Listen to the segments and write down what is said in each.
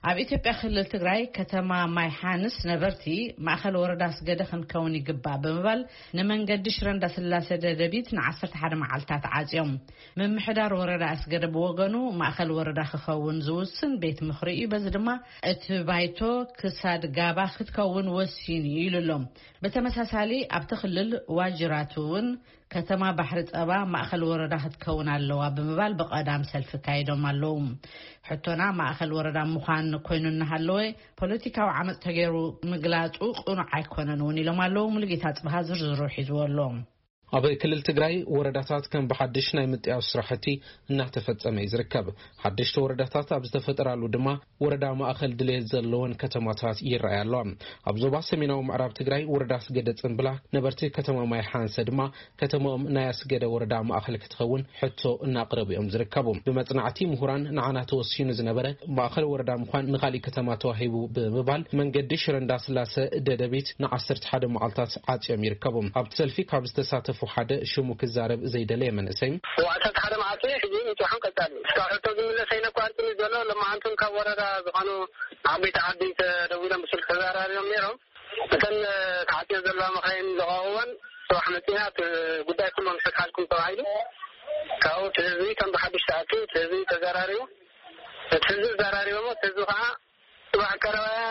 ኣብ ኢትዮጵያ ክልል ትግራይ ከተማ ማይ ሓንስ ነበርቲ ማእኸል ወረዳ ኣስገደ ክንከውን ይግባእ ብምባል ንመንገዲ ሽረ እንዳስላሴ ደደቢት ን11 መዓልታት ዓፅዮም። ምምሕዳር ወረዳ ኣስገደ ብወገኑ ማእኸል ወረዳ ክኸውን ዝውስን ቤት ምኽሪ እዩ። በዚ ድማ እቲ ባይቶ ክሳድ ጋባ ክትከውን ወሲኑ እዩ ኢሉ ኣሎ። ብተመሳሳሊ ኣብቲ ክልል ዋጅራት እውን ከተማ ባሕሪ ጸባ ማእኸል ወረዳ ክትከውን ኣለዋ ብምባል ብቐዳም ሰልፊ ካይዶም ኣለዉ። ሕቶና ማእኸል ወረዳ ምዃን ኮይኑ እናሃለወ ፖለቲካዊ ዓመፅ ተገይሩ ምግላፁ ቅኑዕ ኣይኮነን እውን ኢሎም ኣለዉ። ሙሉጌታ ጽብሃ ዝርዝሩ ሒዝዎ ኣሎ። ኣብ ክልል ትግራይ ወረዳታት ከም ብሓድሽ ናይ ምጥያሽ ስራሕቲ እናተፈጸመ እዩ ዝርከብ። ሓደሽቲ ወረዳታት ኣብ ዝተፈጠራሉ ድማ ወረዳ ማእኸል ድሌት ዘለወን ከተማታት ይረኣያ ኣለዋ። ኣብ ዞባ ሰሜናዊ ምዕራብ ትግራይ ወረዳ ኣስገደ ጽምብላ ነበርቲ ከተማ ማይ ሓንሰ ድማ ከተማኦም ናይ ኣስገደ ወረዳ ማእኸል ክትኸውን ሕቶ እናቕረቡ እዮም ዝርከቡ። ብመጽናዕቲ ምሁራን ንዓና ተወሲኑ ዝነበረ ማእኸል ወረዳ ምዃን ንኻሊእ ከተማ ተዋሂቡ ብምባል መንገዲ ሽረ እንዳስላሰ ደደቢት ን11 መዓልታት ዓጽዮም ይርከቡ። ኣብቲ ሰልፊ ካብ ዝተሳተፉ ሓደ ሽሙ ክዛረብ ዘይደለየ መንእሰይ ወዓሰት ሓደ መዓልቲ ሕጂ ምፅሖም ቀፃሊ እስካብ ሕቶ ዝምለስ ኣይነኳርትን እዩ ዘሎ። ለማዓንቱን ካብ ወረዳ ዝኾኑ ዓበይቲ ዓዲ ተደዊሎም ብስልክ ተዘራሪቦም ነይሮም። እተን ተዓፅዮ ዘለዋ መኻይን ዝቐውወን ጽባሕ መፂና እቲ ጉዳይ ኩሎም ሕትሓልኩም ተባሂሉ ካብኡ እቲ ህዝቢ ከም ብሓድሽ ተኣኪቡ እቲ ህዝቢ ተዘራሪቡ እቲ ህዝቢ ዘራሪቦሞ እቲ ህዝቢ ከዓ ጽባሕ ቀረባያ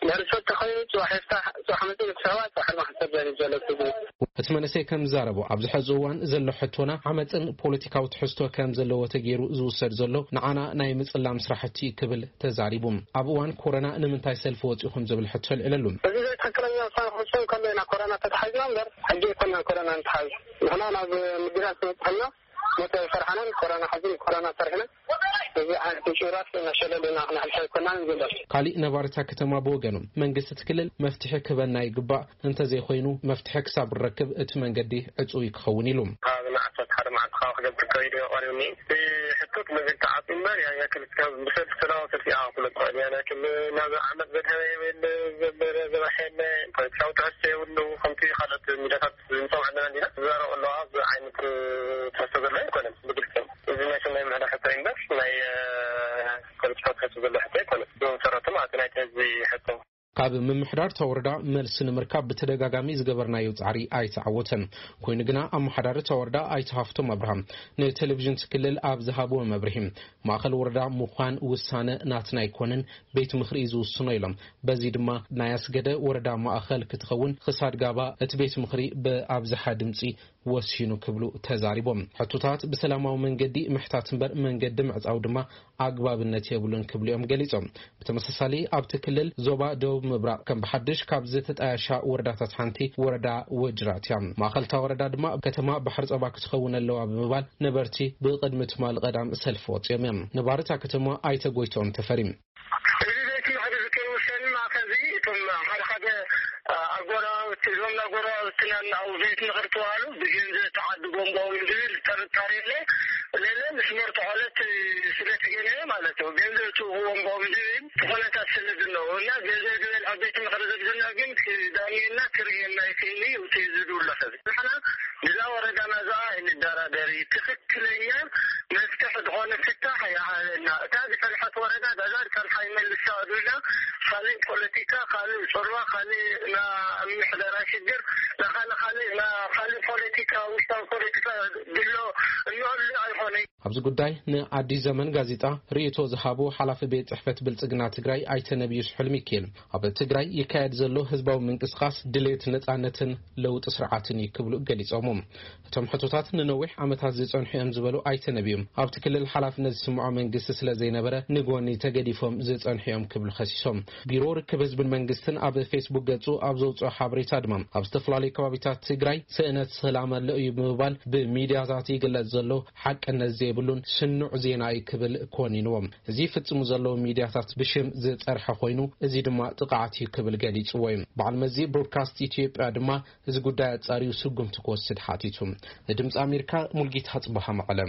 ድሕሪ ሰተ ኮይኑ ጽባሕ ይፍታሕ ጽባሕ መፂኡ ክስሕባ ጽባሕ ድማ ክሰደድ እዩ ዘሎ እቲ ህዝቢ። እቲ መንእሰይ ከም ዝዛረቦ ኣብዚ ሕዚ እዋን ዘሎ ሕቶና ዓመፅን ፖለቲካዊ ትሕዝቶ ከም ዘለዎ ተገይሩ ዝውሰድ ዘሎ ንዓና ናይ ምፅላም ስራሕቲ እዩ ክብል ተዛሪቡ። ኣብ እዋን ኮረና ንምንታይ ሰልፊ ወፂኹም ዝብል ሕቶ ኣልዕለሉ። እዚ ዘይትክክለኛ ውሳነ ክውሰን ከሎ ኢና ኮረና ተታሒዝና እምበር ሕጂ ኣይኮናን ኮረና ንትሓዝ። ንሕና ናብ ምድራት ንበፅሐልና ሞት ኣይፈርሓናን ኮረና ሓዚ ንኮረና ፈሪሕና እዚ ዓይነት ምጭውራስ እናሸለልና ክነሕልፎ ኣይኮናን ይብል። ካሊእ ነባሪ እታ ከተማ ብወገኑ መንግስቲ እቲ ክልል መፍትሒ ክህበና ይግባእ፣ እንተዘይኮይኑ መፍትሒ ክሳብ ንረክብ እቲ መንገዲ ዕፁው እዩ ክኸውን ኢሉ። ካብ ንዓሰርተ ሓደ መዓልቲ ካብ ክገብር ከይዱ ቀሪቡኒ። እቲ ሕቶ እቲ መገዲ ተዓፅዩ እምበር ያን ያክል እስካብ ብሰልፊ ሰላማዊ ሰልፊ ኢኻ ክትብሎ ትኽእል። ያን ያክል ናብ ዓመት ዘድሃበ የብሉ፣ ዘበረ ዘባሐ የለ፣ ፖለቲካዊ ትሕዝቶ የብሉ። ከምቲ ካልኦት ሚድያታት ንሰምዖ ኣለና እንዲና ዝዛረቡ ኣለዋ። እዚ ዓይነት ትሕዝቶ ዘሎ ኣይኮነን ብግልፂ። እዚ ናይ ሰናይ ምሕዳር ሕቶ እዩ እምበር ናይ ፖለቲካዊ ትሕዝቶ ዘሎ ሕቶ ኣይኮነን። ብመሰረቱ ማለት ናይቲ ህዝቢ ሕቶ። ካብ ምምሕዳር እታ ወረዳ መልሲ ንምርካብ ብተደጋጋሚ ዝገበርናዮ ጻዕሪ ኣይተዓወተን። ኮይኑ ግና ኣመሓዳሪ እታ ወረዳ ኣይተ ሃፍቶም ኣብርሃም ንቴሌቪዥን እቲ ክልል ኣብ ዝሃብዎ መብርሂ ማእኸል ወረዳ ምዃን ውሳነ ናትና ኣይኮነን፣ ቤት ምኽሪ እዩ ዝውስኖ ኢሎም። በዚ ድማ ናይ ኣስገደ ወረዳ ማእኸል ክትኸውን ክሳድ ጋባ እቲ ቤት ምኽሪ ብኣብዝሓ ድምፂ ወሲኑ ክብሉ ተዛሪቦም። ሕቶታት ብሰላማዊ መንገዲ ምሕታት እምበር መንገዲ ምዕፃው ድማ ኣግባብነት የብሉን ክብሉ እዮም ገሊፆም። ብተመሳሳሊ ኣብቲ ክልል ዞባ ደቡብ ምብራቕ ከም ብሓድሽ ካብ ዝተጣየሻ ወረዳታት ሓንቲ ወረዳ ወጅራት እያ። ማእኸልታ ወረዳ ድማ ከተማ ባሕሪ ፀባ ክትኸውን ኣለዋ ብምባል ነበርቲ ብቕድሚ ትማሊ ቀዳም ሰልፊ ወፂኦም እዮም። ነባሪ እታ ከተማ ኣይተ ጎይትኦም ተፈሪ። እዚ ቤት ምኽሪ እዚ ከይውሰን ማእኸል እዚ እቶም ሓደ ሓደ ኣጎራባብቲ እዞም ኣጎራባብትና እናው ቤት ምኽሪ ተባሃሉ ብገንዘብ ተዓድጎም ቦም ዝብል ጥርጣሬ የለ። ለለ ምስ መርትዖለት ስለ ትገነየ ማለት እዩ። ገንዘብ ትውህቦም ቦም ዝብል ኩነታት ስለ ዝነው እና ገንዘብ ዝበልዐ ቤት ምኽሪ ዝብልና ግን ክዳንየና ክርእየና ይኽእል እዩ። እቲ ዝድውሎ ሰብ ንሕና ብዛ ወረዳና እዛ ኣይንደራደር እዩ። ትኽክለኛ መፍትሒ ዝኾነ ፍታሕ ይሃበና። እታ ዝፈልሐት ወረዳ ዳዛ ዝፈልሓ ይመልሳ ኣሉላ። ካልእ ፖለቲካ፣ ካልእ ጾልዋ፣ ካልእ ናይ ምሕደራ ሽግር፣ ናይ ካልእ ካልእ ናይ ካልእ ፖለቲካ፣ ውሽጣዊ ፖለቲካ ድሎ እንህሉ ኣይኾነይ። ኣብዚ ጉዳይ ንኣዲስ ዘመን ጋዜጣ ርእይቶ ዝሃቡ ሓላፊ ቤት ጽሕፈት ብልጽግና ትግራይ ኣይተ ነብዩ ስሑል ሚካኤል ኣብ ትግራይ ይካየድ ዘሎ ህዝባዊ ምንቅስቃስ ድሌት ነጻነትን ለውጢ ስርዓትን እዩ ክብሉ ገሊጾም። እቶም ሕቶታት ንነዊሕ ዓመታት ዝጸንሑ እዮም ዝበሉ ኣይተ ነብዩ ኣብቲ ክልል ሓላፍነት ዝስምዖ መንግስቲ ስለ ዘይነበረ ንጎኒ ተገዲፎም ዝጸንሑ እዮም ክብሉ ከሲሶም። ቢሮ ርክብ ህዝብን መንግስትን ኣብ ፌስቡክ ገጹ ኣብ ዘውፅኦ ሓበሬታ ድማ ኣብ ዝተፈላለዩ ከባቢታት ትግራይ ስእነት ሰላም ኣሎ እዩ ብምባል ብሚድያታት ይግለጽ ዘሎ ሓቅነት ዘይብሉን ስኑዕ ዜና እዩ ክብል ኮኒንዎም። እዚ ይፍጽሙ ዘለዉ ሚድያታት ብሽም ዝጸርሐ ኮይኑ እዚ ድማ ጥቕዓት እዩ ክብል ገሊጽዎ እዩ። በዓል መዚ ብሮድካስት ኢትዮጵያ ድማ እዚ ጉዳይ ኣጻርዩ ስጉምቲ ክወስድ ሓቲቱ። ንድምፂ ኣሜሪካ ሙልጌታ ጽባሃ መቐለ።